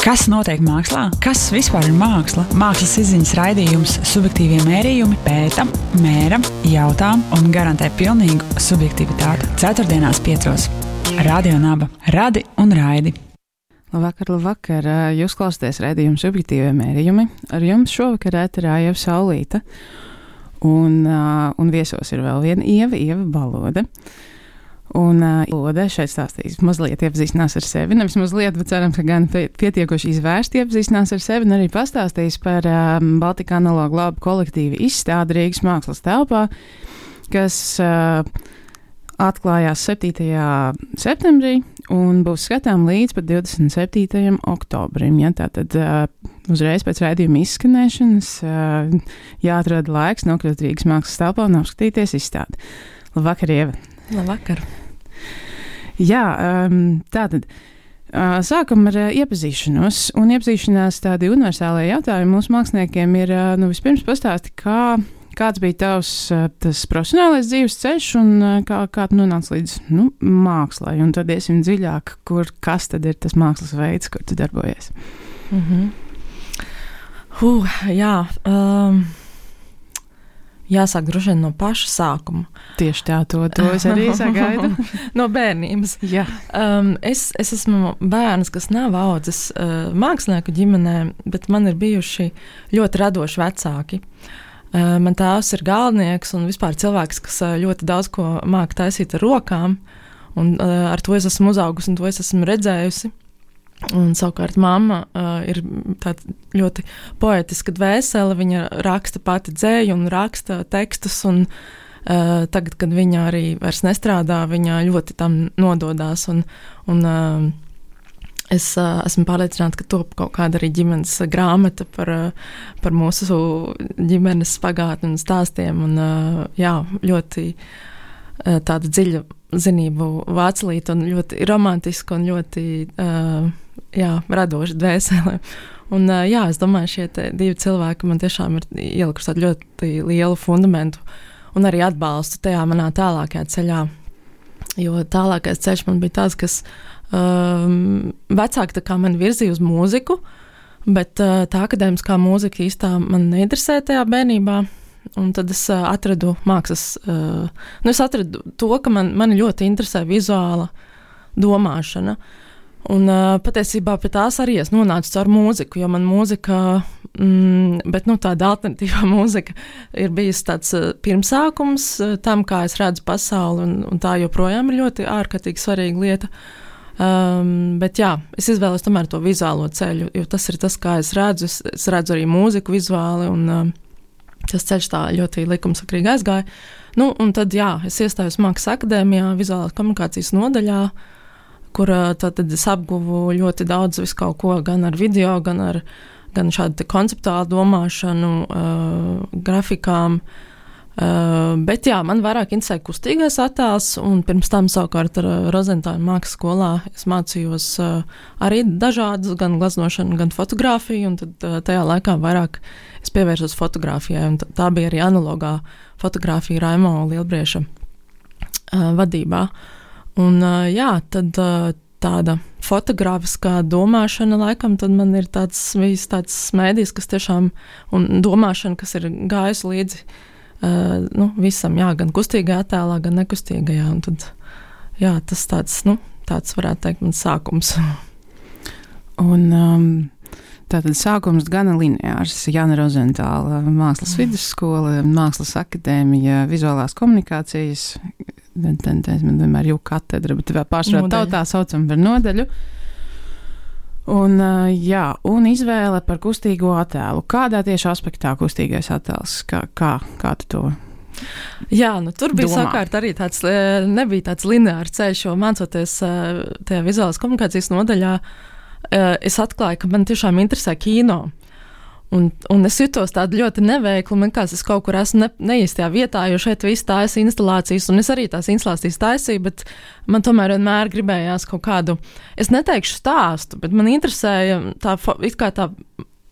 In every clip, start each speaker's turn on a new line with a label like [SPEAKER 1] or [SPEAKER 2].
[SPEAKER 1] Kas notiek mākslā? Kas vispār ir māksla? Mākslas izziņas raidījums Subjektīvie mērījumi pēta, mēra, jautā un garantē pilnīgu subjektivitāti. Ceturtdienās 5. Radio Naba. Radi un raidi.
[SPEAKER 2] Labvakar. Jūs klausāties raidījumu Subjektīvie mērījumi. Ar jums šovakar ēterā Ieva Saulīte. Un viesos ir vēl viena Ieva Balode. Un Lode šeit stāstīs mazliet iepazīstinās ar sevi, nevis mazliet, bet ceram, ka gan pietiekoši izvērsti iepazīstinās ar sevi, un arī pastāstīs par Baltika analogu labu kolektīvu izstādi Rīgas mākslas telpā, kas atklājās 7. septembrī un būs skatām līdz pat 27. oktobrim. Ja, tātad uzreiz pēc raidījuma izskanēšanas jāatrod laiks nokļūt Rīgas mākslas telpā un apskatīties izstādi. Labvakar, Ieva!
[SPEAKER 3] Labvakar.
[SPEAKER 2] Jā, tātad sākam ar iepazīšanos, un iepazīšanās tādi universālajie jautājumi mūsu māksliniekiem ir, vispirms pastāsti, kāds bija tavs tas profesionālais dzīves ceļš un kā tu nonāc līdz, mākslai, un tad iesim dziļāk, kas tad ir tas mākslas veids, kur tu darbojies.
[SPEAKER 3] Jāsāk droši vien no paša sākuma.
[SPEAKER 2] Tieši tā, to es arī sagaidu.
[SPEAKER 3] No bērnības.
[SPEAKER 2] Jā.
[SPEAKER 3] Es esmu bērns, kas nav audzis mākslinieku ģimenē, bet man ir bijuši ļoti radoši vecāki. Man tēvs ir galdnieks un vispār cilvēks, kas ļoti daudz ko māca taisīt ar rokām, un ar to es esmu uzaugusi un to es esmu redzējusi. Un savukārt mamma ir tāda ļoti poetiska dvēsele, viņa raksta pati dzēju un raksta tekstus, un tagad, kad viņa arī vairs nestrādā, viņa ļoti tam nododās, un es esmu pārliecināta, ka top kaut kāda arī ģimenes grāmata par mūsu ģimenes pagātni un stāstiem, un ļoti tāda dziļa zinību vācelīta un ļoti romantiska un ļoti radoša dvēsele. Un es domāju, šie divi cilvēki man tiešām ir ielikuši tādu ļoti lielu fundamentu un arī atbalstu tajā manā tālākajā ceļā. Jo tālākais ceļš man bija tāds, kas vecāki tā kā mani virzīja uz mūziku, bet tā akadēmiskā mūzika īstā man neinteresē tajā bērnībā. Un tad es atradu mākslas, es atradu to, ka mani ļoti interesē vizuāla domāšana. Un patiesībā pie tās arī es nonācu caur mūziku, jo man mūzika, bet tāda alternatīvā mūzika ir bijis tāds pirmsākums tam, kā es redzu pasauli, un tā joprojām ir ļoti ārkārtīgi svarīga lieta. Bet es izvēlos tomēr to vizuālo ceļu, jo tas ir tas, kā es redzu. Es redzu arī mūziku vizuāli, un tas ceļš tā ļoti likumsakrīgi aizgāja. Un tad, es iestājos Mākslas akadēmijā, vizuālās komunikācijas nodaļā, kur tad es apguvu ļoti daudz visu kaut ko, gan ar video, gan šādu konceptuālu domāšanu, grafikām. Bet man vairāk interesē kustīgais attēls, un pirms tam savukārt ar Rozentāļu mākslas skolā es mācījos arī dažādas, gan gleznošanu, gan fotografiju, un tad tajā laikā vairāk es pievērsos fotografijai, un tā bija arī analogā fotografija Raimo Lielbrieša vadībā. Un tad tāda fotogrāfiskā domāšana laikam, tad man ir tāds mēdījis, kas tiešām, un domāšana, kas ir gājusi līdzi visam, gan kustīgajā attēlā, gan nekustīgajā, un tad, tas tāds varētu teikt mans sākums.
[SPEAKER 2] Un tātad sākums gana lineārs. Jāna Rozentāla mākslas vidusskola, Mākslas akadēmija, vizuālās komunikācijas, man vienmēr jau katedra, bet pārsvarā tautā saucam par nodaļu. Un izvēle par kustīgo attēlu. Kādā tieši aspektā kustīgais attēls? Kā tu to
[SPEAKER 3] tur bija sakārt arī tāds, nebija tāds lineārs ceļš, jo mācoties tajā vizuālās komunikācijas nodaļā, es atklāju, ka man tiešām interesē kino. Un es jutos tādu ļoti neveiklu, man kāds es kaut kur esmu neīstajā vietā, jo šeit viss taisa instalācijas, un es arī tās instalācijas taisīju, bet man tomēr vienmēr gribējās kaut kādu, es neteikšu stāstu, bet man interesēja tā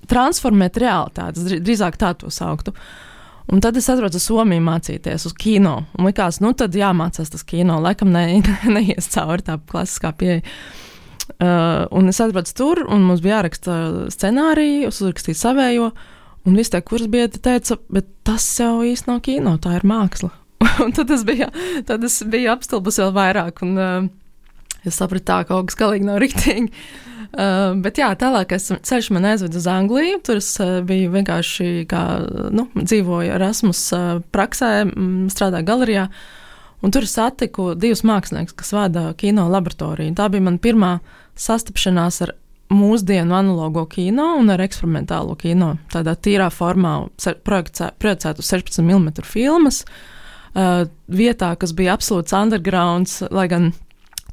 [SPEAKER 3] transformēt realitātes, drīzāk tā to sauktu. Un tad es atrodu Somiju mācīties uz kino, un likās, tad jāmācās tas kino, laikam neies cauri tā klasiskā pieeja. Un es atbraucu tur, un mums bija jāraksta scenāriju, es uzrakstīju savējo, un visi tie kursbiedri teica, bet tas jau īsti nav kino, tā ir māksla. Un tad es biju apstulbus vēl vairāk, un es sapratu tā, ka kaut kas galīgi nav riktīgi. Bet jā, tālākais ceļš man aizved uz Angliju, tur es biju vienkārši dzīvoju Erasmus praksē, strādāju galerijā, un tur es satiku 2 māksliniekus, kas vada kino laboratoriju. Tā bija man pirmā sastapšanās ar mūsdienu analogo kino un ar eksperimentālo kino, tādā tīrā formā projicētu 16 mm filmas, vietā, kas bija absolūts undergrounds, lai gan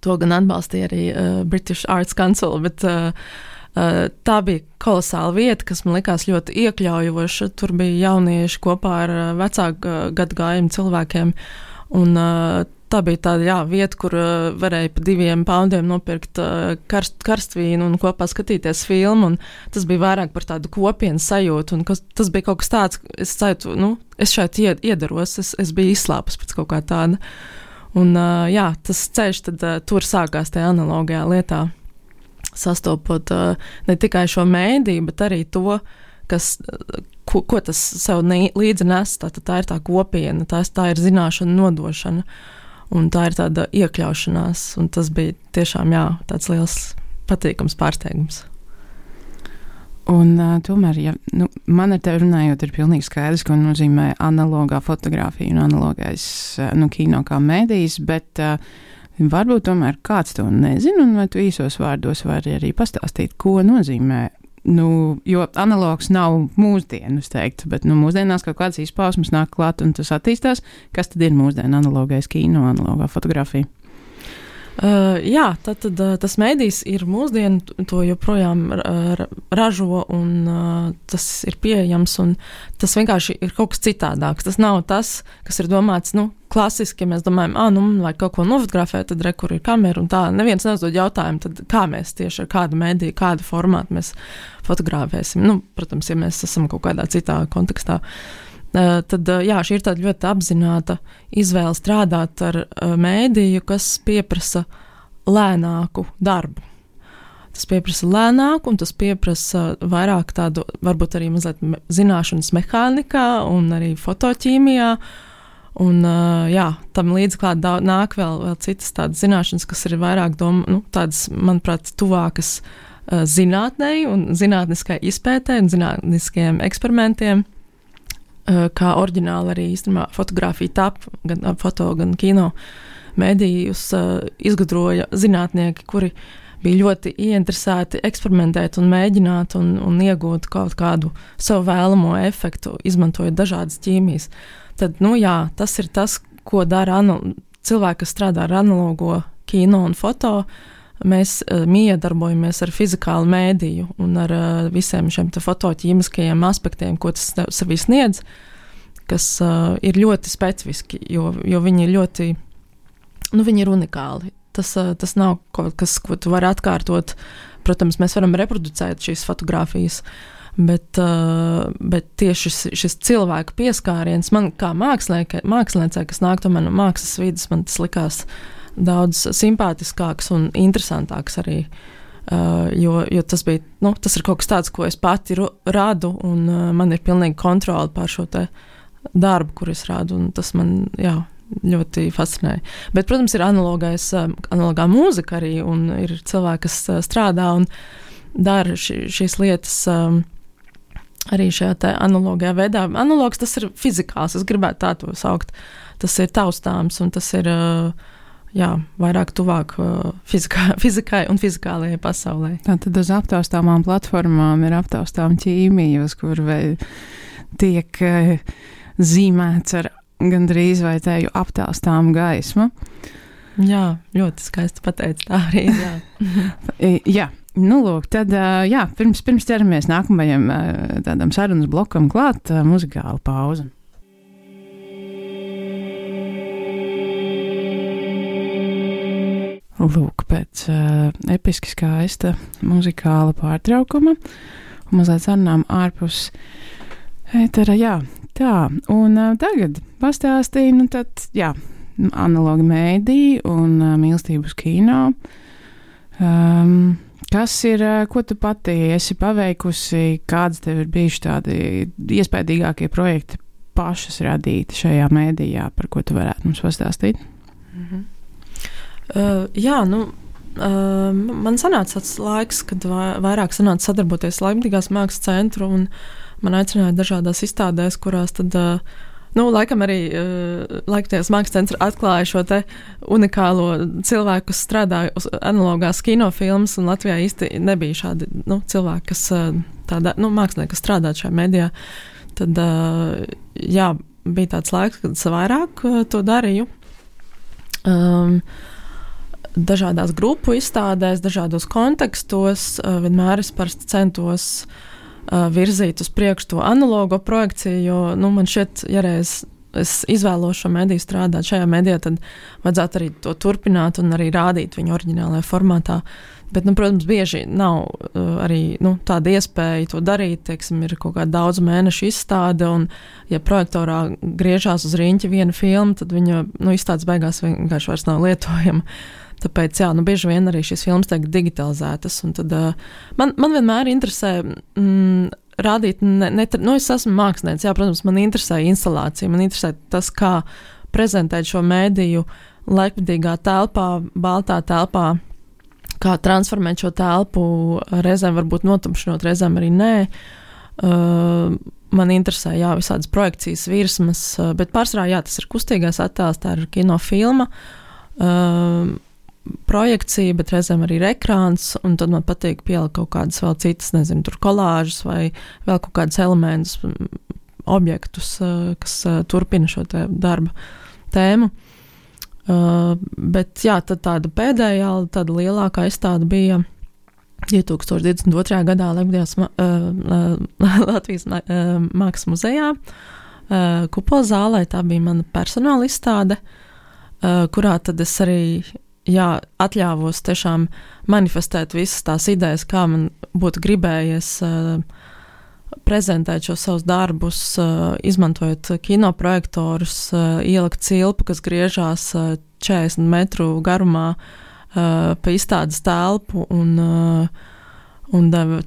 [SPEAKER 3] to gan atbalstīja arī British Arts Council, bet tā bija kolosāla vieta, kas man likās ļoti iekļaujoša. Tur bija jaunieši kopā ar vecāku gadagājumu cilvēkiem, un tā bija tāda vieta, kur varēja pa 2 poundiem nopirkt karstvīnu un kopā skatīties filmu, un tas bija vairāk par tādu kopienu sajūtu, un tas bija kaut kas tāds, es šeit iedaros, es biju izslāpus pēc kaut kā tāda. Un tas ceļš tad tur sākās tajā analogajā lietā, sastopot ne tikai šo mēdīju, bet arī to, ko tas sev līdzi nes. Tā ir tā kopiena, tā ir zināšana nodošana, un tā ir tāda iekļaušanās, un tas bija tiešām tāds liels patīkams pārsteigums.
[SPEAKER 2] Un tomēr, man ar tevi runājot, ir pilnīgi skaidrs, ko nozīmē analogā fotografija un analogais kino kā mēdījis, bet varbūt tomēr kāds to nezina, un vai tu īsos vārdos vari arī pastāstīt, ko nozīmē. Jo analogs nav mūsdienu, es teiktu, bet mūsdienās kaut kādas izpausmes nāk klāt, un tas attīstās. Kas tad ir mūsdienu analogais kino, analogā fotografija?
[SPEAKER 3] Tad tas mēdījis ir mūsdienu, to joprojām ražo, un tas ir pieejams, un tas vienkārši ir kaut kas citādāks. Tas nav tas, kas ir domāts, klasiski, ja mēs domājam, lai kaut ko nofotografē, tad kur ir kamera, un tā neviens neuzdod jautājumu, tad kā mēs tieši ar kādu mēdīju, kādu formātu mēs fotografēsim. Protams, ja mēs esam kaut kādā citā kontekstā. Tad šī ir tāda ļoti apzināta izvēle strādāt ar mēdīju, kas pieprasa lēnāku darbu. Tas pieprasa lēnāku, un tas pieprasa vairāk tādu, varbūt arī mazliet zināšanas mehānikā un arī fotoķīmijā. Un tam līdz klāt nāk vēl citas tādas zināšanas, kas ir vairāk tādas, manuprāt, tuvākas zinātnei un zinātniskai izpētei un zinātniskajiem eksperimentiem. Kā oriģināli arī īstenībā fotografija tap, gan foto, gan kino mēdījus izgudroja zinātnieki, kuri bija ļoti ieinteresēti eksperimentēt un mēģināt un iegūt kaut kādu savu vēlamo efektu, izmantojot dažādas ķīmijas. Tad, tas ir tas, ko dara cilvēki, kas strādā ar analogo kino un foto. Mēs miedarbojamies ar fizikālu mēdīju un ar visiem šiem fotoķīmiskajiem aspektiem, ko tas sevī sniedz, kas ir ļoti specifiski, jo viņi ir ļoti, viņi ir unikāli. Tas nav kaut kas, ko tu vari atkārtot. Protams, mēs varam reproducēt šīs fotogrāfijas, bet tieši šis cilvēku pieskāriens man kā māksliniecei, kas nāk tomēr no mākslas vidas, man tas likās daudz simpātiskāks un interesantāks arī, jo tas bija, tas ir kaut kas tāds, ko es pati rādu, un man ir pilnīgi kontroli pār šo te darbu, kur es rādu, un tas man, ļoti fascinēja. Bet, protams, ir analogā mūzika arī, un ir cilvēki, kas strādā un dara šīs lietas arī šajā te analogajā veidā. Analogs tas ir fizikāls, es gribētu tā to saukt. Tas ir taustāms, un tas ir vairāk tuvāk fizikai un fizikālajai pasaulē.
[SPEAKER 2] Tātad uz aptaustāmām platformām ir aptaustām ķīmija, uz kur tiek zīmēts ar gandrīz vai teju aptaustām gaismu.
[SPEAKER 3] Jā, ļoti skaisti pateikt, tā arī ir.
[SPEAKER 2] Jā. Lūk, tad, pirms ķeramies nākamajam tādam sarunas blokam klāt, muzikāla pauze. Lūk, pēc episki skaista muzikāla pārtraukuma un mazliet sarunām ārpus ētera, tā, un tagad pastāstīju, analogi mēdī un mīlestību uz kino. Kas ir, ko tu pati esi paveikusi, kādas tev ir bijuši tādi iespaidīgākie projekti pašas radīti šajā mēdījā, par ko tu varētu mums pastāstīt?
[SPEAKER 3] Man sanāca tāds laiks, kad vairāk sanāca sadarboties Leipzigās mākslas centru, un man aicināja dažādās izstādēs, kurās tad, laikam arī Leipzigas mākslas centra atklāja šo te unikālo cilvēku, kas strādāja uz analogās kinofilmas, un Latvijā īsti nebija šādi cilvēki, kas mākslinieki, kas strādātu šajā medijā. Tad, bija tāds laiks, kad es vairāk to darīju. Dažādās grupu izstādēs, dažādos kontekstos, vienmēr es parasti centos virzīt uz priekšu to analogo projekciju, jo, man šķiet, ja reiz es izvēlos šo mediju strādāt šajā medijā, tad vajadzētu arī to turpināt un arī rādīt viņu oriģinālajā formātā. Bet, protams, bieži nav arī tāda iespēja to darīt, teiksim, ir kaut kāda daudz mēnešu izstāde, un ja projektorā griežās uz riņķa viena filma, tad viņa izstādes beigās vienkārši vairs nav lietojama. Tāpēc, bieži vien arī šīs filmas tiek digitalizētas, un tad man vienmēr interesē rādīt, es esmu mākslinieks, protams, man interesē instalācija, man interesē tas, kā prezentēt šo mēdīju laikmetīgā telpā, baltā telpā, kā transformēt šo telpu, reizēm varbūt notumšinot, reizēm arī nē. Man interesē, visādas projekcijas virsmas, bet pārsvarā, tas ir kustīgais attēls, tā ir kinofilma, projekcija, bet reizēm arī ir ekrāns, un tad man patīk pielikt kaut kādas vēl citas, nezinu, tur kolāžas vai vēl kaut kādas elementus, objektus, kas turpina šo te darba tēmu. Bet, tad tāda pēdējā, tāda lielākā izstāde bija 2022. gadā Latvijas Mākslas muzejā, Kupola zālē. Tā bija mana personāla izstāde, kurā tad es arī atļāvos tiešām manifestēt visas tās idejas, kā man būtu gribējies prezentēt šos savus darbus, izmantojot kinoprojektorus, ielikt cilpu, kas griežās 40 metru garumā pa izstādes telpu, un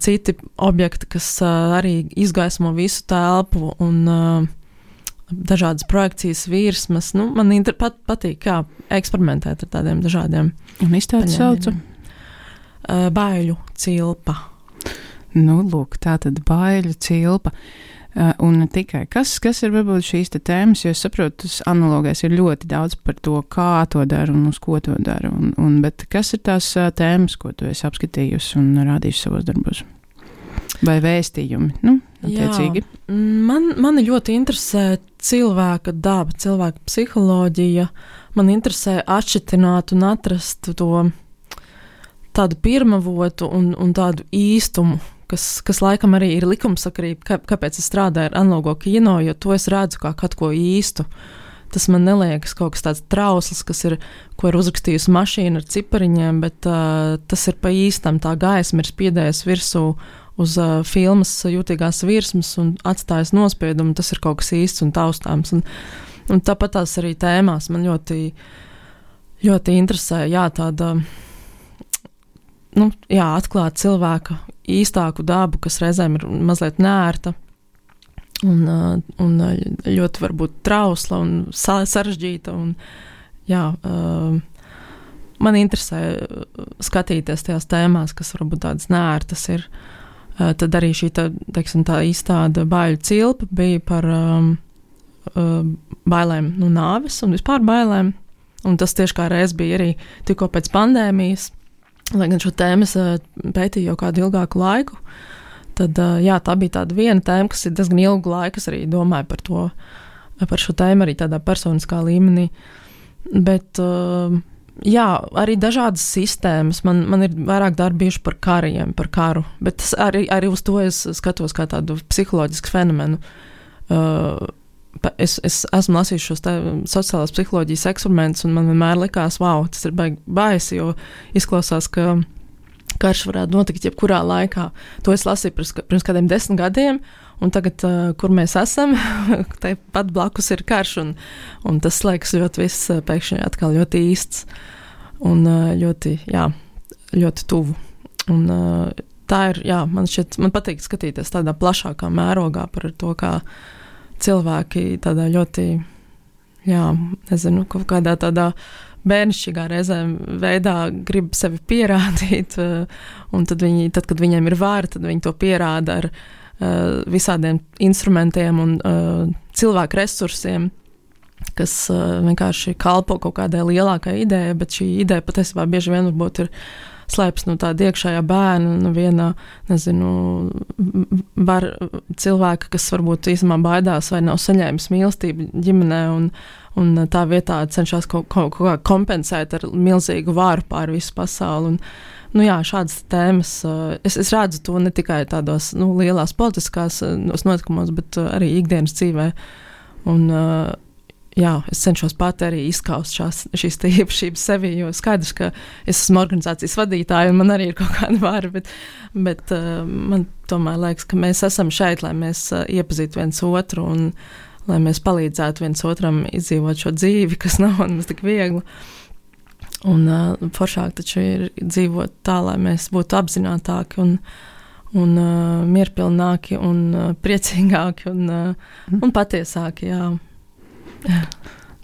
[SPEAKER 3] citi objekti, kas arī izgaismo visu telpu, un dažādas projekcijas virsmas. Man patīk, eksperimentēt ar tādiem dažādiem.
[SPEAKER 2] Un izstādi saucu?
[SPEAKER 3] Baiļu cilpa.
[SPEAKER 2] Lūk, tā tad baiļu cilpa. Un ne tikai. Kas ir varbūt šīs te tēmas, jo es saprotu, tas analogais ir ļoti daudz par to, kā to dara un uz ko to dara. Bet kas ir tās tēmas, ko tu esi apskatījusi un rādījusi savos darbos? Vai vēstījumi, attiecīgi?
[SPEAKER 3] Mani ļoti interesē cilvēka daba, cilvēka psiholoģija. Man interesē atšķitināt un atrast to tādu pirmavotu un tādu īstumu, kas laikam arī ir likumsakarība, kāpēc es strādāju ar analogo kino, jo to es redzu kā kaut ko īstu. Tas man neliekas kaut kas tāds trausls, ko ir uzrakstījusi mašīna ar cipariņiem, bet tas ir pa īstam, tā gaisma ir spiedējusi virsū uz filmas jūtīgās virsmas un atstājas nospiedumu, tas ir kaut kas īsts un taustāms. Un tāpat tās arī tēmās man ļoti, ļoti interesē, tāda, atklāt cilvēka īstāku dabu, kas reizēm ir mazliet neērta un ļoti varbūt trausla un sarežģīta. Man interesē skatīties tajās tēmās, kas varbūt tādas neērtas ir. Tad arī šī tā izstāde baiļu cilpa bija par bailēm no nāves un vispār bailēm. Un tas tieši kā reiz bija arī tikko pēc pandēmijas, lai gan šo tēmu es pētīju jau kādu ilgāku laiku. Tad, tā bija tāda viena tēma, kas ir diezgan ilgu laiku, es arī domāju par šo tēmu arī tādā personiskā līmenī. Bet, arī dažādas sistēmas. Man ir vairāk darbi bijuši par kariem, par karu, bet arī uz to es skatos kā tādu psiholoģisku fenomenu. Es esmu lasījis šos sociālās psiholoģijas eksperimentus, un man vienmēr likās, tas ir baisi, jo izklausās, ka karš varētu notikt jebkurā laikā. To es lasīju pirms kādiem 10 gadiem, un tagad, kur mēs esam, te pat blakus ir karš, un tas liekas ļoti viss pēkšņi atkal ļoti īsts. Un ļoti, ļoti tuvu. Un tā ir, man patīk skatīties tādā plašākā mērogā par to, kā cilvēki tādā ļoti, kaut kādā tādā bērnišķīgā reizēm veidā grib sevi pierādīt, un tad, kad viņiem ir vāra, tad viņi to pierāda ar visādiem instrumentiem un cilvēku resursiem, kas vienkārši kalpo kaut kādai lielākai idejai, bet šī ideja patiesībā bieži vien varbūt ir slēpjas no tāda iekšējā bērna, no viena, var cilvēka, kas varbūt īstenībā baidās vai nav saņēmis mīlestību ģimenē, un tā vietā cenšas kaut kā kompensēt ar milzīgu vāru pār visu pasauli. Un, šādas tēmas, es redzu to ne tikai tādos lielās politiskās notikumos, bet arī ikdienas dzīvē. Un, es cenšos pati arī izskaust šīs īpašības sevi, jo skaidrs, ka es esmu organizācijas vadītāja un man arī ir kaut kāda vara, bet man tomēr liekas, ka mēs esam šeit, lai mēs iepazītu viens otru un lai mēs palīdzētu viens otram izdzīvot šo dzīvi, kas nav mums tik viegli. Un foršāk taču ir dzīvot tā, lai mēs būtu apzinātāki un mierpilnāki un priecīgāki un patiesāki,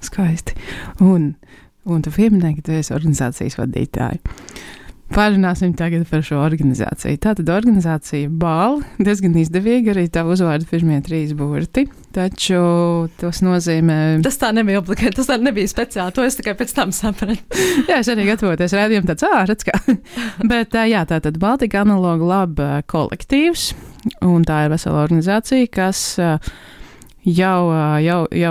[SPEAKER 2] Skaisti. Un tu pieminēji, ka tu esi organizācijas vadītāja. Pārunāsim tagad par šo organizāciju. Tātad organizācija BAL diezgan izdevīga, arī tā uzvārda pirmie 3 burti, taču tas nozīmē...
[SPEAKER 3] Tas tā nebija obligāti, tas tā nebija speciāli, to es tikai pēc tam sapratu.
[SPEAKER 2] Es arī gatavoties rādījumu tāds, redz kā. Bet tātad Baltika Analoga Lab kolektīvs, un tā ir vesela organizācija, kas... Jau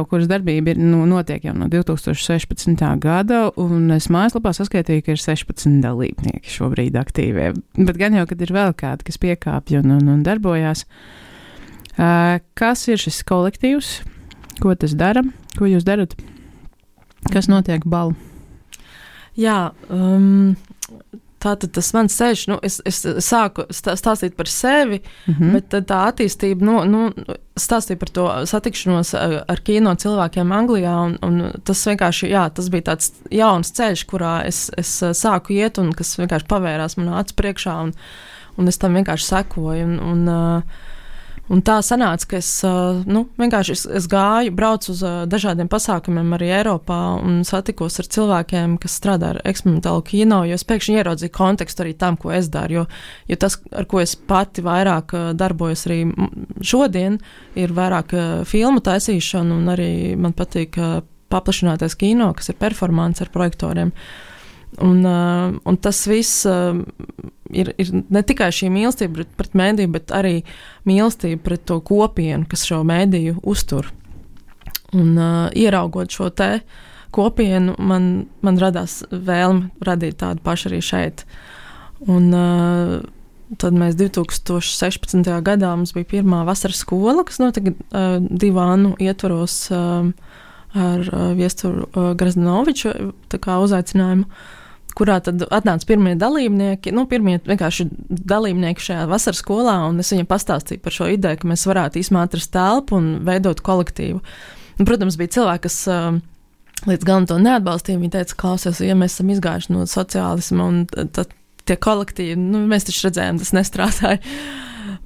[SPEAKER 2] kuras darbība ir notiek jau no 2016. gada, un es mājaslapā saskaitīju, ka ir 16 dalībnieki šobrīd aktīvie. Bet gan jau, kad ir vēl kādi, kas piekāpj un darbojās. Kas ir šis kolektīvs? Ko tas dara? Ko jūs darat? Kas notiek BAL?
[SPEAKER 3] Tātad tas mans ceļš, es sāku stāstīt par sevi, bet tā attīstība, stāstīja par to satikšanos ar kino cilvēkiem Anglijā, un tas vienkārši, tas bija tāds jauns ceļš, kurā es sāku iet, un kas vienkārši pavērās manā acu priekšā, un es tam vienkārši sekoju, un tā sanāca, ka es gāju, braucu uz dažādiem pasākumiem arī Eiropā un satikos ar cilvēkiem, kas strādā ar eksperimentālu kino, jo es pēkšņi ieraudzīju kontekstu arī tam, ko es daru, jo tas, ar ko es pati vairāk darbojos arī šodien, ir vairāk filmu taisīšana, un arī man patīk paplašinātais kino, kas ir performance ar projektoriem. Un tas viss ir ne tikai šī mīlestība pret mēdīju, bet arī mīlestība pret to kopienu, kas šo mēdīju uztur. Un ieraugot šo te kopienu, man radās vēlme radīt tādu pašu arī šeit. Un tad mēs 2016. gadā mums bija pirmā vasaras skola, kas notika 2 Annu ietvaros ar Viesturu Grazdanoviču uzaicinājumu, kurā tad atnāca pirmie dalībnieki, pirmie vienkārši dalībnieki šajā vasaras skolā, un es viņam pastāstīju par šo ideju, ka mēs varētu atrast telpu un veidot kolektīvu. Un, protams, bija cilvēki, kas līdz galam to neatbalstīja. Viņi teica, klausies, ja mēs esam izgājuši no sociālisma, un tad tie kolektīvi, mēs taču redzējām, tas nestrādāja.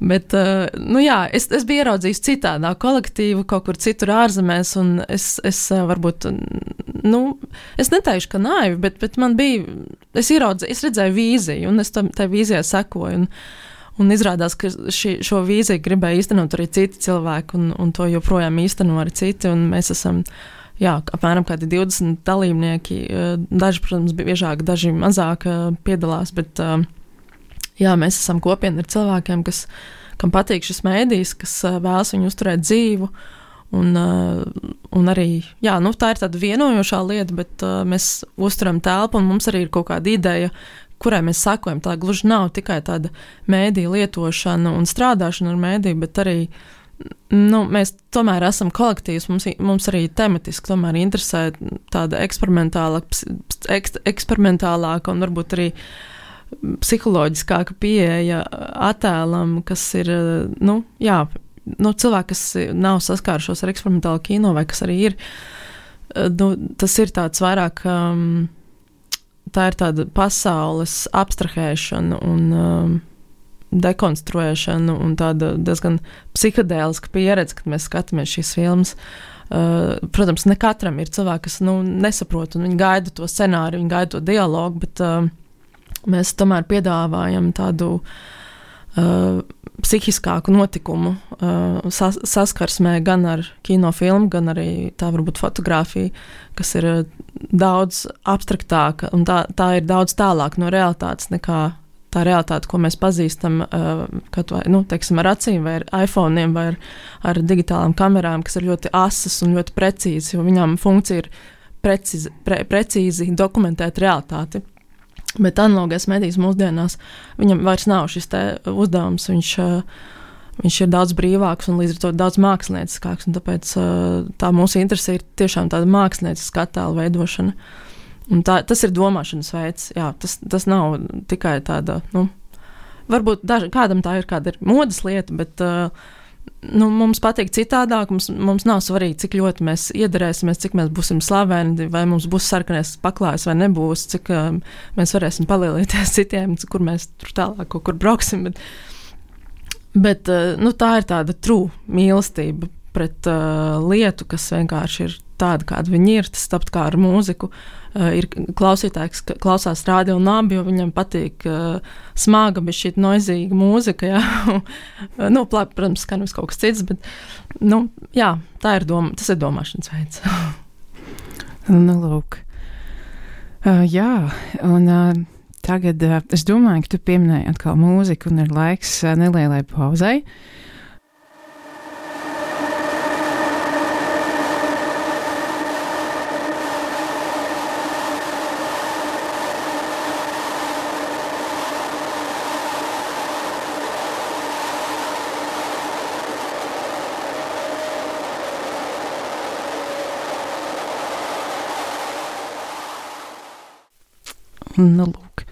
[SPEAKER 3] Bet, es biju ieraudzījis citādā kolektīvu, kaut kur citur ārzemēs, un es varbūt, es neteikšu, ka naivi, bet man bija, es redzēju vīziju, un es tai vīzijai sekoju, un izrādās, ka šo vīziju gribēja īstenot arī citi cilvēki, un to joprojām īsteno arī citi, un mēs esam, apmēram kādi 20 dalībnieki, daži, protams, biežāk, daži mazāk piedalās, bet, mēs esam kopiena ar cilvēkiem, kam patīk šis mēdījis, kas vēlas viņu uzturēt dzīvu, un arī, tā ir tāda vienojošā lieta, bet mēs uzturam telpu, un mums arī ir kaut kāda ideja, kurai mēs sakojam. Tā gluži nav tikai tāda mēdīja lietošana un strādāšana ar mēdīju, bet arī, mēs tomēr esam kolektīvs, mums arī tematiski tomēr interesē tāda eksperimentālāka un varbūt arī psiholoģiskāka pieeja attēlam, kas ir, cilvēki, kas nav saskārušos ar eksperimentālu kino, vai kas arī ir, tas ir tāds vairāk tā ir tāda pasaules abstrahēšana un dekonstruēšana un tāda diezgan psihadēliska pieredze, kad mēs skatāmies šīs filmas. Protams, ne katram ir cilvēki, kas nesaprot, un viņi gaida to scenāriju, viņi gaida to dialogu, bet mēs tomēr piedāvājam tādu psihiskāku notikumu saskarsmē gan ar kinofilmu, gan arī tā varbūt fotografija, kas ir daudz abstraktāka, un tā ir daudz tālāk no realitātes nekā tā realitāte, ko mēs pazīstam teiksim, ar acīm vai ar iPhone'iem vai ar digitālām kamerām, kas ir ļoti asas un ļoti precīzi, jo viņām funkcija ir precīzi dokumentēt realitāti. Bet analogais medijas mūsdienās viņam vairs nav šis te uzdevums, viņš ir daudz brīvāks un līdz ar to daudz mākslinieckāks, un tāpēc tā mūsu interese ir tiešām tāda mākslinieca attēla veidošana. Un tas ir domāšanas veids, jā, tas nav tikai tāda, varbūt kādam tā ir kāda modes lieta, bet mums patīk citādāk, mums nav svarīgi, cik ļoti mēs iedarēsimies, cik mēs būsim slaveni, vai mums būs sarkanais paklājs vai nebūs, cik mēs varēsim palielīties citiem, kur mēs tur tālāk kaut kur brauksim, bet tā ir tāda true mīlestība pret lietu, kas vienkārši ir tāda, kāda viņi ir, tas tāpat kā ar mūziku. Ir klausītājs, kas klausās rādio un abi, jo viņam patīk smaga, bet šī noizīga mūzika, jā. Protams, skan vis kaut kas cits, bet, jā, tas ir domāšanas veids.
[SPEAKER 2] Lūk. Jā, un tagad es domāju, ka tu pieminēji atkal mūziku un ir laiks nelielai pauzei. Lūk.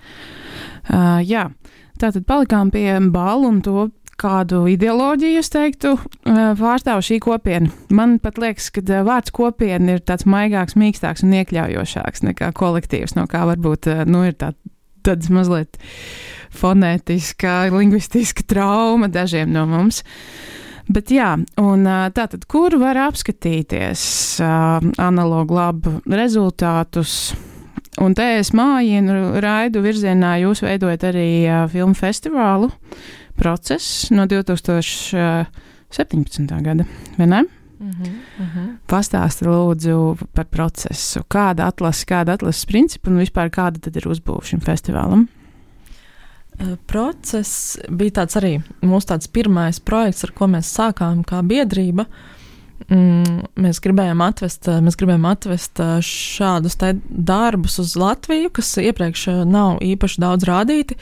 [SPEAKER 2] Jā, tātad palikām pie ballu un to, kādu ideoloģiju, es teiktu, pārstāv šī kopiena. Man pat liekas, ka vārds kopiena ir tāds maigāks, mīkstāks un iekļaujošāks nekā kolektīvs, no kā varbūt, ir tāds mazliet fonētiska, lingvistiska trauma dažiem no mums. Bet jā, un tātad, kur var apskatīties analogu labu rezultātus? Un te es mājienu raidu virzienā, jūs veidojat arī filmu festivālu Process no 2017. gada, vai ne? Pastāsti lūdzu par procesu. Kāda atlases principa un vispār kāda tad ir uzbūve šim festivālam?
[SPEAKER 3] Process bija tāds arī mūsu tāds pirmais projekts, ar ko mēs sākām kā biedrība. Mēs gribējām atvest šādus darbus uz Latviju, kas iepriekš nav īpaši daudz rādīti.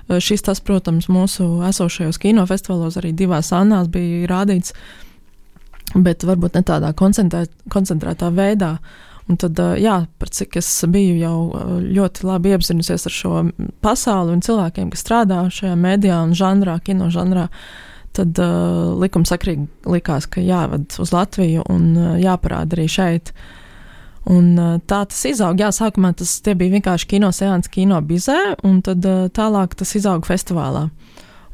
[SPEAKER 3] Tas, protams, mūsu esošajos kinofestivālos arī 2 Annās bija rādīts, bet varbūt ne tādā koncentrētā veidā. Un tad, par cik es biju jau ļoti labi iepazinusies ar šo pasauli un cilvēkiem, kas strādā šajā mēdījā un žanrā, kino žanrā, tad likumsakrīgi likās, ka jāved uz Latviju un jāparāda arī šeit. Un tā tas izaug. Jā, sākumā tie bija vienkārši kinoseansi kino bizē, un tad tālāk tas izaug festivālā.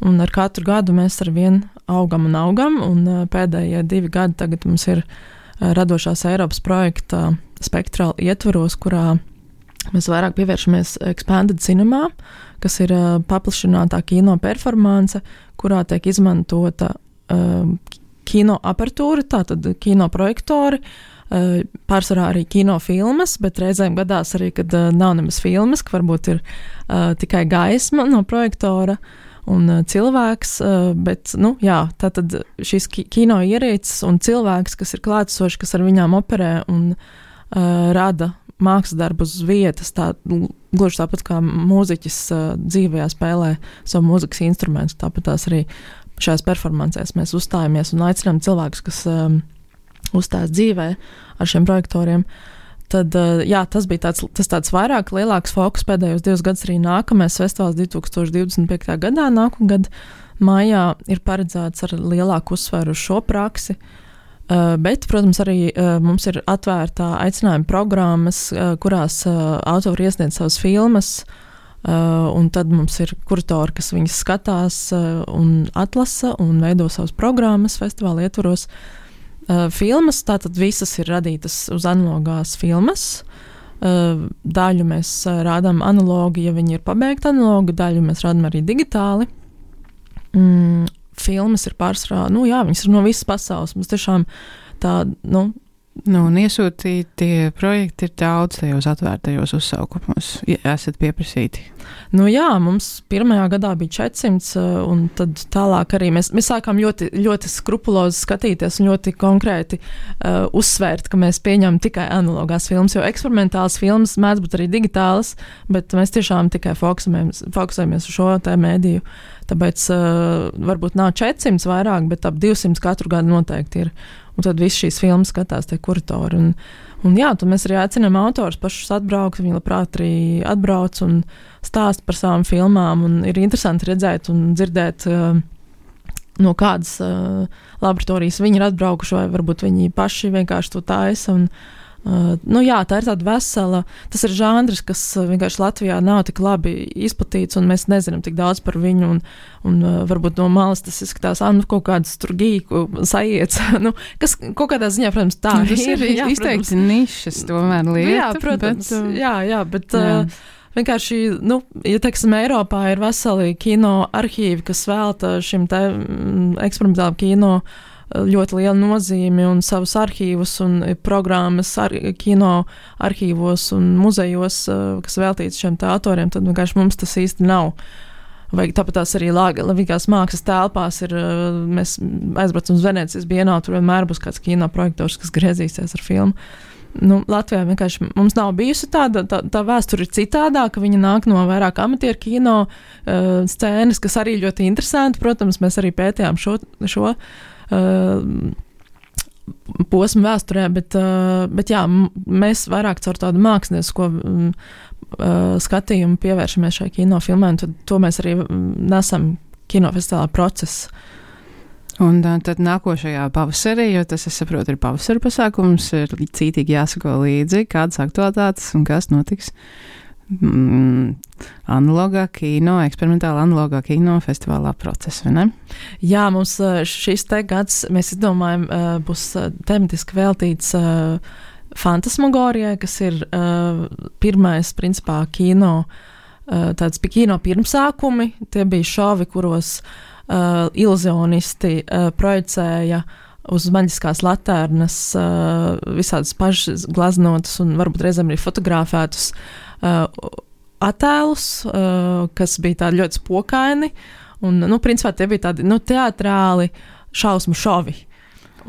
[SPEAKER 3] Un ar katru gadu mēs arvien augam, un pēdējie 2 gadi tagad mums ir radošās Eiropas projekta Spektrāla ietvaros, kurā mēs vairāk pievēršamies Expanded Cinema, kas ir paplašinātā kino performance, kurā tiek izmantota kino apertūra, tātad kino projektori, pārsvarā arī kinofilmas, bet reizēm gadās arī, kad nav nemaz filmas, ka varbūt ir tikai gaisma no projektora un cilvēks, bet, tātad šīs kino ierīces un cilvēks, kas ir klātesoši, kas ar viņām operē un rada mākslas darbu uz vietas, gluži tāpat kā mūziķis dzīvajā spēlē savu mūzikas instrumentu, tāpat tās arī šajās performancēs mēs uzstājamies un aicinām cilvēkus, kas uzstājas dzīvē ar šiem projektoriem. Tad, tas bija tāds vairāk lielāks fokus pēdējos 2 gadus arī nākamais festivāls 2025. gadā, nākamgad maijā ir paredzēts ar lielāku uzsvaru uz šo praksi. Bet, protams, arī mums ir atvērtā aicinājuma programmas, kurās autori iesniedz savas filmas, un tad mums ir kuratori, kas viņas skatās un atlasa un veido savas programmas festivāla ietvaros. Filmas, tātad visas ir radītas uz analogās filmas. Daļu mēs rādām analogi, ja viņi ir pabeigti analogi, daļu mēs rādām arī digitāli. Filmas ir pārsvarā, viņas ir no visas pasaules. Mums tiešām tā,
[SPEAKER 2] un iesūtītie projekti ir daudz tajos atvērtajos uzsaukumos, ja esat pieprasīti.
[SPEAKER 3] Mums pirmajā gadā bija 400, un tad tālāk arī mēs sākām ļoti, ļoti skrupulozi skatīties un ļoti konkrēti uzsvērt, ka mēs pieņemam tikai analogās filmas, jo eksperimentālas filmas mēdz būt arī digitālas, bet mēs tiešām tikai fokusējamies uz šo tā mēdīju. Tāpēc varbūt nav 400 vairāk, bet ap 200 katru gadu noteikti ir. Un tad viss šīs filmas skatās tie kuratori. Un tad mēs arī aicinām autors pašus atbraukt, viņi labprāt arī atbrauc un stāst par savām filmām. Un ir interesanti redzēt un dzirdēt, no kādas laboratorijas viņi ir atbraukuši, vai varbūt viņi paši vienkārši to taisa. Tā ir tāda vesela, tas ir žanrs, kas vienkārši Latvijā nav tik labi izplatīts, un mēs nezinām tik daudz par viņu, un varbūt no malas tas izskatās, kaut kāds tur gīku sajiets, kas kaut kādā ziņā, protams, tā
[SPEAKER 2] ir izteikti nišas tomēr lieta.
[SPEAKER 3] Jā, protams, bet vienkārši, ja teiksim, Eiropā ir veseli kino arhīvi, kas velta šim te eksperimentālam kino ļoti liela nozīme un savus arhīvus un programmas kino arhīvos un muzejos, kas veltīts šiem te autoriem, tad vienkārši mums tas īsti nav. Vai tāpat tās arī Lavīgās mākslas telpās ir, mēs aizbraucam uz Venēcijas bienālu, tur vienmēr būs kāds kino projektors, kas griezīsies ar filmu. Latvijā vienkārši mums nav bijusi tā vēsture ir citādāka, viņa nāk no vairāk amatieru kino scēnas, kas arī ļoti interesanti, protams, mēs arī pētījām šo posmu vēsturē, bet mēs vairāk caur tādu māksliniesko skatījumu pievēršamies šai kinofilmai, un to mēs arī nesam kinofestivālā procesu.
[SPEAKER 2] Un tad nākošajā pavasarī, jo tas, es saprotu, ir pavasara pasākums, ir cītīgi jāsako līdzi, kādas aktualitātes un kas notiks. Analogā kino, eksperimentāla analogā kino festivālā procesa, vai ne?
[SPEAKER 3] Jā, mums šis te gads, mēs izdomājam, būs tematiski veltīts fantasmagorijai, kas ir pirmais, principā, kino, tāds kino pirmsākumi, tie bija šovi, kuros iluzionisti projicēja uz maģiskās latērnas visādas pašas glaznotas un varbūt reizēm arī fotografētus attēlus, kas bija tādi ļoti spokaini, un, principā tie bija tādi, teatrāli šausmu šovi.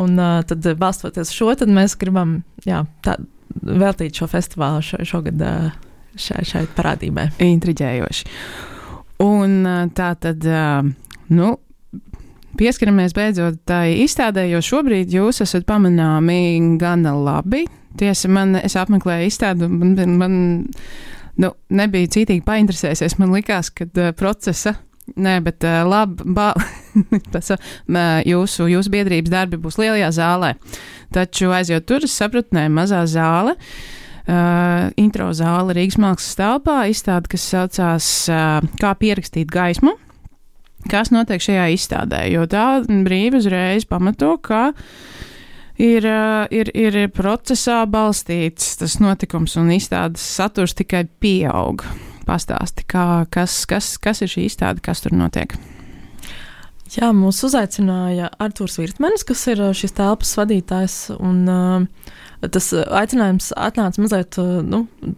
[SPEAKER 3] Un tad balstoties šo, tad mēs gribam, veltīt šo festivālu šogad šai parādībai.
[SPEAKER 2] Intriģējoši. Un tā tad, pieskaramies beidzot tai izstādē, jo šobrīd jūs esat pamanāmi gana labi. Tiesa, es apmeklēju izstādu, man nebija cītīgi painteresēsies. Man likās, ka procesa, jūsu biedrības darbi būs lielajā zālē. Taču aizjot tur, es sapratu, mazā zāle, intro zāle Rīgas mākslas telpā, izstāde, kas saucās Kā pierakstīt gaismu. Kas notiek šajā izstādē, jo tā brīvi uzreiz pamato, ka ir procesā balstīts tas notikums un izstādes saturs tikai pieaug. Pastāsti, kas ir šī izstāde, kas tur notiek?
[SPEAKER 3] Jā, mūs uzaicināja Artūrs Virtmanis, kas ir šīs telpas vadītājs, un tas aicinājums atnāca mazliet,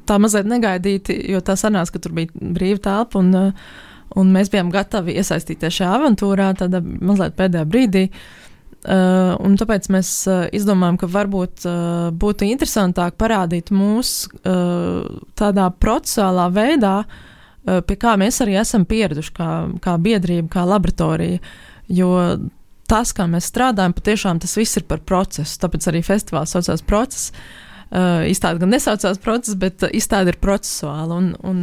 [SPEAKER 3] mazliet negaidīti, jo tā sanāca, ka tur bija brīva telpa, un mēs bijām gatavi iesaistīties šajā avantūrā, tādā mazliet pēdējā brīdī. Un tāpēc mēs izdomājam, ka varbūt būtu interesantāk parādīt mūs tādā procesuālā veidā, pie kā mēs arī esam pieraduši kā biedrība, kā laboratorija, jo tas, kā mēs strādājam, patiešām tas viss ir par procesu, tāpēc arī festivāls saucās process. Izstāde gan nesaucās process, bet izstāde ir procesuāla, un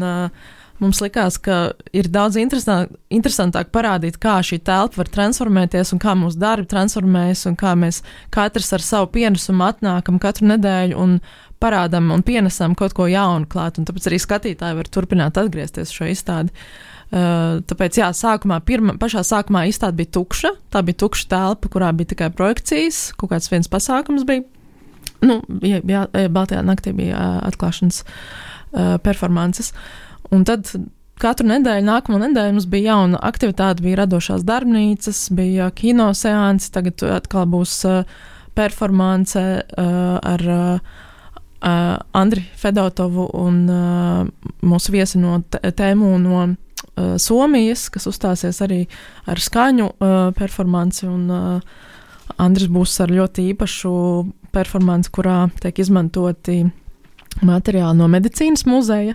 [SPEAKER 3] mums likās, ka ir daudz interesantāk parādīt, kā šī telpa var transformēties un kā mūsu darbi transformējas un kā mēs katrs ar savu pienesumu atnākam katru nedēļu un parādam un pienesam kaut ko jaunu klāt. Un tāpēc arī skatītāji var turpināt atgriezties šo izstādi. Tāpēc, jā, pašā sākumā izstāde bija tukša. Tā bija tukša telpa, kurā bija tikai projekcijas, kaut kāds viens pasākums bija. Baltajā naktī bija atklāšanas performances. Un tad katru nedēļu, nākamo nedēļu mums bija jauna aktivitāte, bija radošās darbnīcas, bija kino seansi, tagad atkal būs performance ar Andri Fedotovu un mūsu viesi no tēmu no Somijas, kas uzstāsies arī ar skaņu performanci, un Andris būs ar ļoti īpašu performanci, kurā tiek izmantoti materiāli no medicīnas muzeja.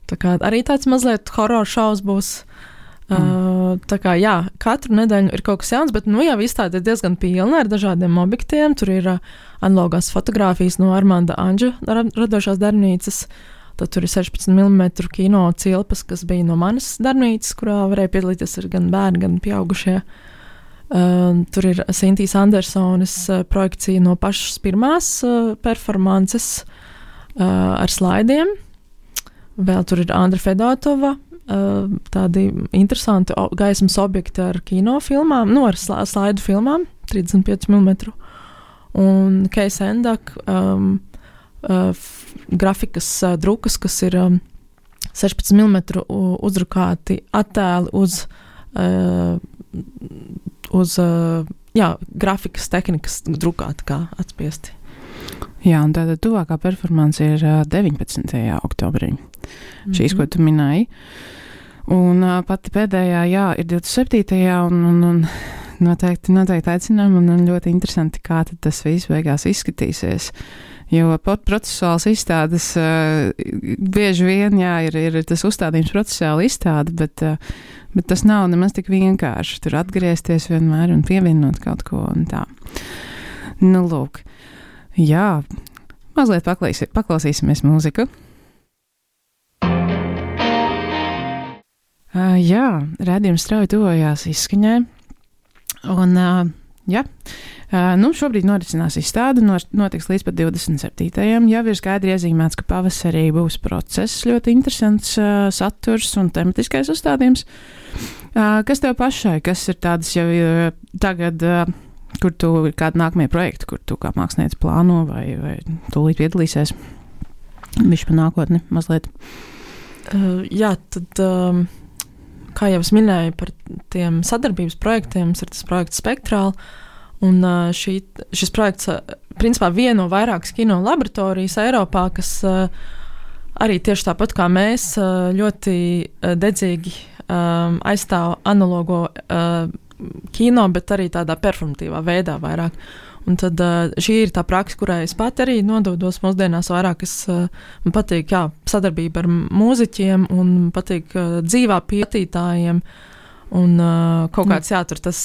[SPEAKER 3] Tā kā arī tāds mazliet horror šovs būs. Tā kā, jā, katru nedēļu ir kaut kas jauns, bet, jau izstāde ir diezgan pilna ar dažādiem objektiem. Tur ir analogās fotogrāfijas no Armanda Anģa radošās darbnīcas. Tad tur ir 16 mm kino cilpas, kas bija no manas darbnīcas, kurā varēja piedalīties gan bērni, gan pieaugušie. Tur ir Sintīs Andersones projekcija no pašas pirmās performances ar slaidiem. Vēl tur ir Andra Fedotova, tādi interesanti gaismas objekti ar kinofilmām, ar slaidu filmām, 35 mm. Un Keis Endak, grafikas drukas, kas ir 16 mm uzdrukāti attēli uz grafikas tehnikas drukāti kā atspiesti.
[SPEAKER 2] Jā, un tāda tuvākā performance ir 19. oktobrī. Šīs, ko tu minēji. Un pati pēdējā, ir 27. un noteikti aicinām, un ļoti interesanti, kā tad tas viss beigās izskatīsies. Jo procesuāls izstādes bieži vien, ir tas uzstādījums procesuāli izstāde, bet tas nav nemaz tik vienkārši. Tur atgriezties vienmēr un pievienot kaut ko un tā. Lūk. Jā, mazliet paklausīsimies mūziku. Jā, rādījums strauji tuvojās izskaņai. Un, šobrīd norisinās izstāde, notiks līdz pat 27. Jau ir skaidri iezīmēts, ka pavasarī būs process, ļoti interesants saturs un tematiskais uzstādījums. Kas tev pašai, kas ir tādas jau tagad, kur tu ir kādi nākamie projekti, kur tu kā mākslinieci plāno vai tūlīt piedalīsies? Bišķi pa nākotni mazliet.
[SPEAKER 3] Tad, kā jau es minēju par tiem sadarbības projektiem, ir tas projekts Spektrāli, un šis projekts principā vieno vairākas kino laboratorijas Eiropā, kas arī tieši tāpat kā mēs ļoti dedzīgi aizstāv analogo kino, bet arī tādā performatīvā veidā vairāk. Un tad šī ir tā praksa, kurai es pat arī nododos mūsdienās vairāk. Man patīk, sadarbība ar mūziķiem un patīk dzīvā pietītājiem. Un kaut kāds, tur tas,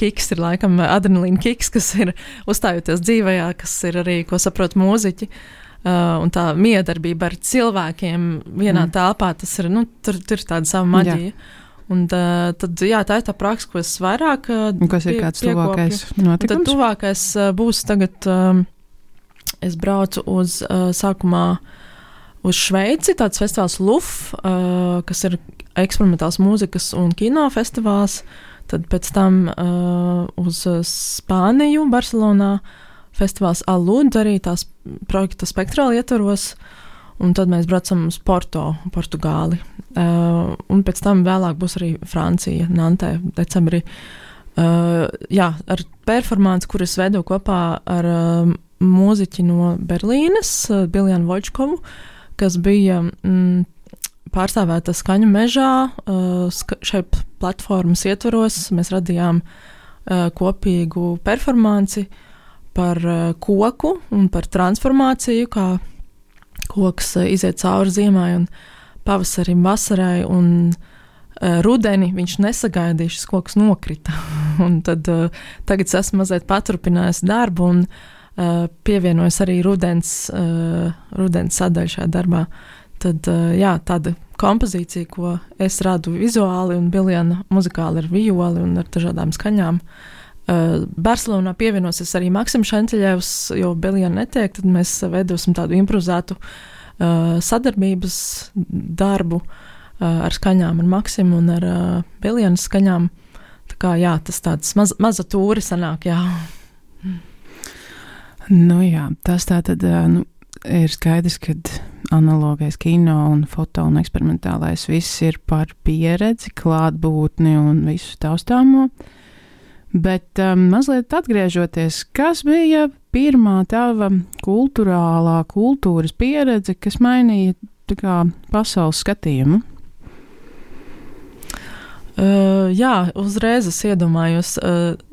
[SPEAKER 3] kiks ir laikam adrenalīna kiks, kas ir uzstājoties dzīvajā, kas ir arī, ko saprot mūziķi. Un tā miedarbība ar cilvēkiem vienā telpā, tas ir, tur ir tāda sava maģija. Jā. Un tad, tā ir tā praksa, ko es vairāk
[SPEAKER 2] kas ir kāds tuvākais notikums?
[SPEAKER 3] Tad tuvākais būs tagad, es braucu sākumā uz Šveici, tāds festivāls LUF, kas ir eksperimentāls mūzikas un kino festivāls, tad pēc tam uz Spāniju, Barcelonā, festivāls Alud, arī tās projekta Spektrāli ietvaros. Un tad mēs braucam uz Portugāli. Un pēc tam vēlāk būs arī Francija, Nantē, decembrī. Ar performanci, kur es veidoju kopā ar mūziķi no Berlīnes, Biljanu Voļčkovu, kas bija pārstāvēta Skaņu mežā. Šai platformas ietvaros mēs radījām kopīgu performanci par koku un par transformāciju, kā koks iziet cauri ziemai un pavasarim, vasarai un rudeni viņš nesagaidīja, šis koks nokrita. Un tad tagad es esmu mazliet paturpinājis darbu un pievienojos arī rudens sadaļu šajā darbā. tad, jā, tāda kompozīcija, ko es radu vizuāli un Biljana muzikāli ar violi un ar dažādām skaņām. Barcelonā pievienosies arī Maksims Šanteļevs, jo Biljana netiek, tad mēs veidosim tādu improvizētu sadarbības darbu ar skaņām ar Maksimu un ar Biljanas skaņām. Tā kā, jā, tas tāds maza tūri sanāk, jā.
[SPEAKER 2] Nu jā, tas tā tad, ir skaidrs, ka analogais kino un foto un eksperimentālais viss ir par pieredzi, klātbūtni un visu taustāmo. Bet mazliet atgriežoties, kas bija pirmā tava kultūras pieredze, kas mainīja tā kā pasaules skatījumu?
[SPEAKER 3] Jā, uzreiz es iedomājos,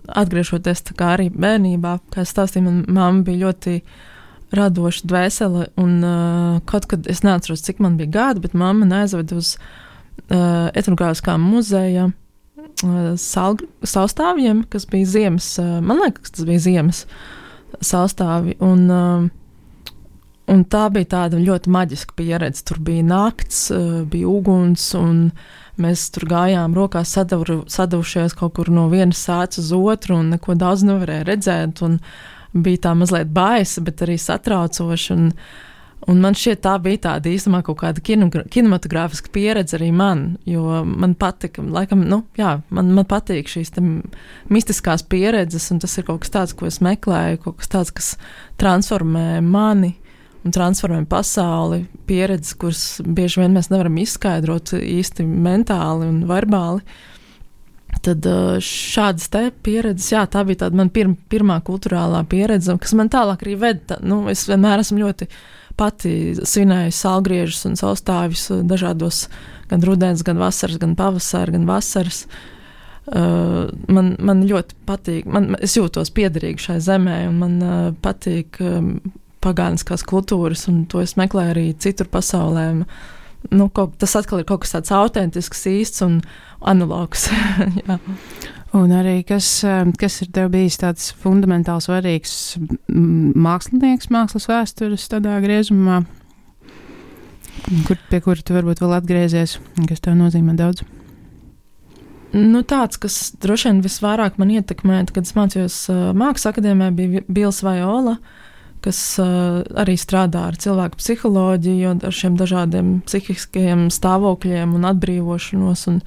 [SPEAKER 3] atgriežoties tā kā arī bērnībā, kā es stāstīju, man mamma bija ļoti radoša dvēsele, un kaut kad es neatceros, cik man bija gadi, bet mamma aizveda uz etnogrāfiskā muzeja saustāvjiem, kas bija ziemas, man liekas, tas bija ziemas saustāvi, un tā bija tāda ļoti maģiska pieredze. Tur bija nakts, bija uguns, un mēs tur gājām rokās sadavušies kaut kur no vienas sācis uz otru, un neko daudz nevarēja redzēt, un bija tā mazliet baisa, bet arī satraucoša, un man šķiet tā bija tāda īstenībā kaut kāda kinematogrāfiska pieredze arī man, jo man patika, laikam, man patīk šīs mistiskās pieredzes, un tas ir kaut kas tāds, ko es meklēju, kaut kas tāds, kas transformē mani un transformē pasauli, pieredzes, kuras bieži vien mēs nevaram izskaidrot īsti mentāli un verbāli. Tad šādas te pieredzes, jā, tā bija tāda man pirmā kulturālā pieredze, kas man tālāk arī veda. Es vienmēr esmu ļoti pati svinēju salgriežus un saustāvjus dažādos, gan rudens, gan vasaras, gan pavasara, gan vasaras. Man ļoti patīk, es jūtos piederīgi šai zemē, un man patīk pagāniskās kultūras, un to es meklēju arī citur pasaulē. Tas atkal ir kaut kas tāds autentisks, īsts un analogs. Jā.
[SPEAKER 2] Un arī, kas ir tev bijis tāds fundamentāli svarīgs mākslinieks, mākslas vēstures tādā griezumā, pie kura tu varbūt vēl atgriezies, kas tev nozīmē daudz?
[SPEAKER 3] Tāds, kas droši vien visvairāk man ietekmē, kad es mācījos Mākslas akadēmijā, bija Bils Vajola, kas arī strādā ar cilvēku psiholoģiju, ar šiem dažādiem psihiskajiem stāvokļiem un atbrīvošanos, un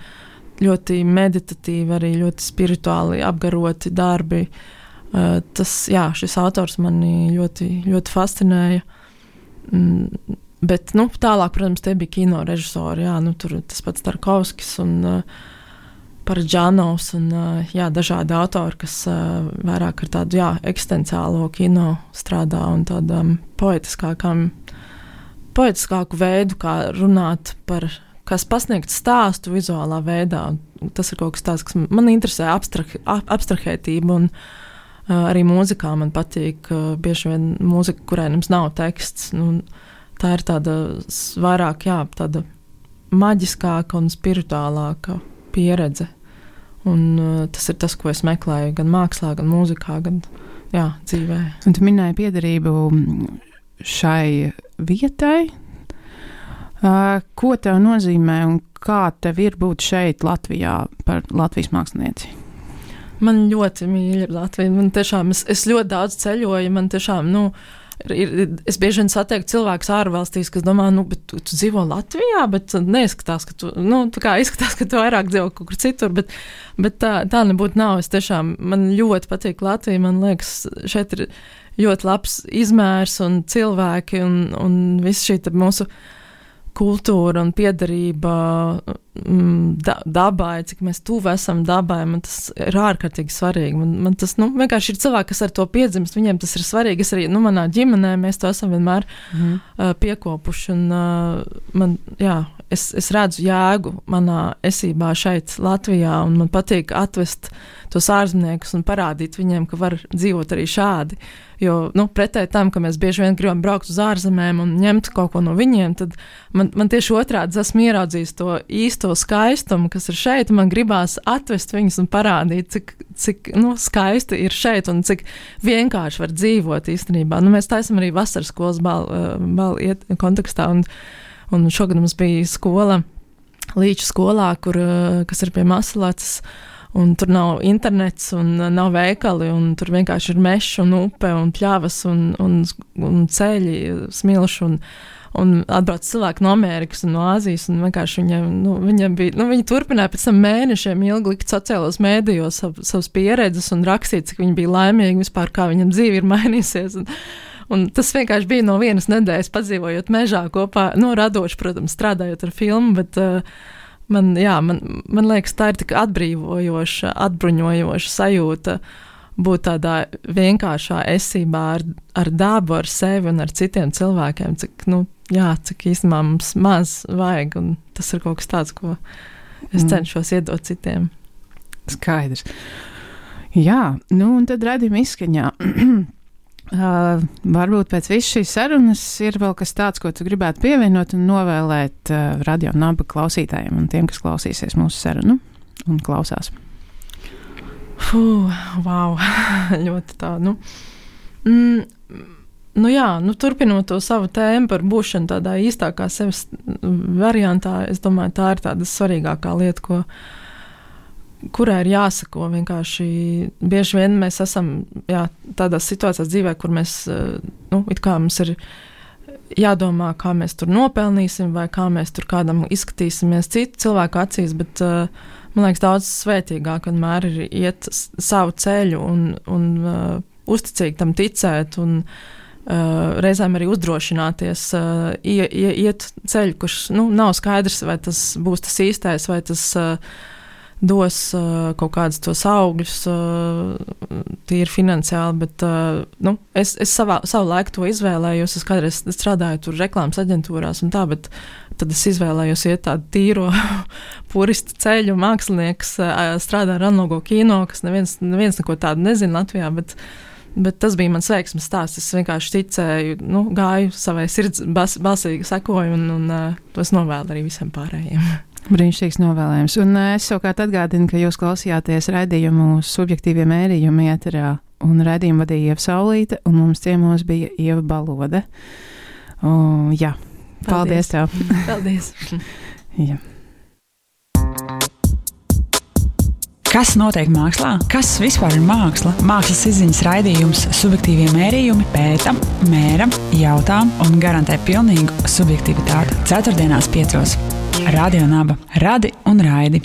[SPEAKER 3] ļoti meditatīvi, arī ļoti spirituāli apgaroti darbi. Šis autors mani ļoti, ļoti fascinēja. Bet, tālāk, protams, tie bija kino režisori, tur tas pats Tarkovskis un Paradžānovs un dažādi autori, kas vairāk ar tādu, eksistenciālo kino strādā un tādām poetiskāku veidu, kā runāt par, kas pasniegt stāstu vizuālā veidā. Tas ir kaut kas tāds, kas man interesē, abstrahētība, un arī mūzikā man patīk bieži vien mūzika, kurai mums nav teksts. Tā ir tāda vairāk, tāda maģiskāka un spirituālāka pieredze. Un tas ir tas, ko es meklēju gan mākslā, gan mūzikā, gan dzīvē.
[SPEAKER 2] Un tu minēji piederību šai vietai. Ko tev nozīmē un kā tev ir būt šeit Latvijā par Latvijas mākslinieci?
[SPEAKER 3] Man ļoti mīļa Latvija. Man tiešām, es ļoti daudz ceļoju, man tiešām, es bieži vien satieku cilvēkus ārvalstīs, kas domā, bet tu dzīvo Latvijā, bet neizskatās, ka tu, tā kā izskatās, ka tu vairāk dzīvo kaut kur citur, bet tā nebūtu nav. Es tiešām, man ļoti patīk Latvija, man liekas, šeit ir ļoti labs izmērs un cilvēki un viss šī mūsu kultūra un piederība dabai, cik mēs tuvu esam dabai, man tas ir ārkārtīgi svarīgi. Man tas, vienkārši ir cilvēki, kas ar to piedzimst, viņiem tas ir svarīgi. Es arī, manā ģimenē mēs to esam vienmēr piekopuši, un es redzu jēgu manā esībā šeit Latvijā, un man patīk atvest tos ārzemniekus un parādīt viņiem, ka var dzīvot arī šādi. Jo, pretēji tam, ka mēs bieži vien gribam braukt uz ārzemēm un ņemt kaut ko no viņiem, tad man tieši otrādi esmu ieraudzījis to īsto skaistumu, kas ir šeit, un man gribās atvest viņus un parādīt, cik skaisti ir šeit un cik vienkārši var dzīvot īstenībā. Mēs taisam arī vasaras skolas balu kontekstā, Un šogad mums bija skola, Līča skolā, kas ir pie Masalacas, un tur nav internets un nav veikali, un tur vienkārši ir mežs un upe un pļavas un ceļi, smilši, un atbrauc cilvēki no Amerikas un no Āzijas, un vienkārši viņiem bija, viņi turpināja pēc tam mēnešiem ilgi likt sociālos mēdījos savas pieredzes un rakstīt, cik viņi bija laimīgi vispār, kā viņam dzīve ir mainīsies, un tas vienkārši bija no vienas nedēļas padzīvojot mežā kopā, radoši, protams, strādājot ar filmu, bet man liekas, tā ir tik atbrīvojoša, atbruņojoša sajūta būt tādā vienkāršā esībā ar dabu, ar sevi un ar citiem cilvēkiem, cik īstenībā mums maz vajag, un tas ir kaut kas tāds, ko es cenšos iedot citiem.
[SPEAKER 2] Skaidrs. Jā, un tad redzim izskaņā. Varbūt pēc visas šīs sarunas ir vēl kas tāds, ko tu gribētu pievienot un novēlēt Radio Naba klausītājiem un tiem, kas klausīsies mūsu sarunu un klausās.
[SPEAKER 3] Wow, ļoti tā, turpinot to savu tēmu par būšanu tādā īstākā sevis variantā, es domāju, tā ir tāda svarīgākā lieta, kurai ir jāsako vienkārši. Bieži vien mēs esam tādās situācijās dzīvē, kur mēs, it kā mums ir jādomā, kā mēs tur nopelnīsim vai kā mēs tur kādam izskatīsimies citu cilvēku acīs, bet man liekas daudz svētīgāk vienmēr ir iet savu ceļu un uzticīgi tam ticēt un reizēm arī uzdrošināties iet ceļu, kurš nav skaidrs, vai tas būs tas īstais, vai tas dos kaut kādus tos augļus, tīri finansiāli, bet es savu laiku to izvēlējos. Es kādreiz strādāju tur reklāmas aģentūrās un tā, bet tad es izvēlējos iet tādu tīro puristu ceļu. Mākslinieks strādā ar analogo kino, kas neviens neko tādu nezina Latvijā, bet tas bija mans veiksmes stāsts. Es vienkārši ticēju, gāju savai sirds balsīgi sekoju un to es novēlu arī visiem pārējiem.
[SPEAKER 2] Brīnišķīgs novēlējums. Un es savukārt atgādinu, ka jūs klausījāties raidījumu Subjektīvie mērījumi ēterā, un raidījumu vadīja Ieva Saulīte, un mums ciemos bija Ieva Balode. Jā, paldies tev.
[SPEAKER 3] Paldies.
[SPEAKER 2] Jā.
[SPEAKER 1] Kas notiek mākslā? Kas vispār ir māksla? Mākslas izziņas raidījums Subjektīvie mērījumi pēta, mēra, jautā un garantē pilnīgu subjektivitāti. 4.5. Radio Naba. Radi un raidi.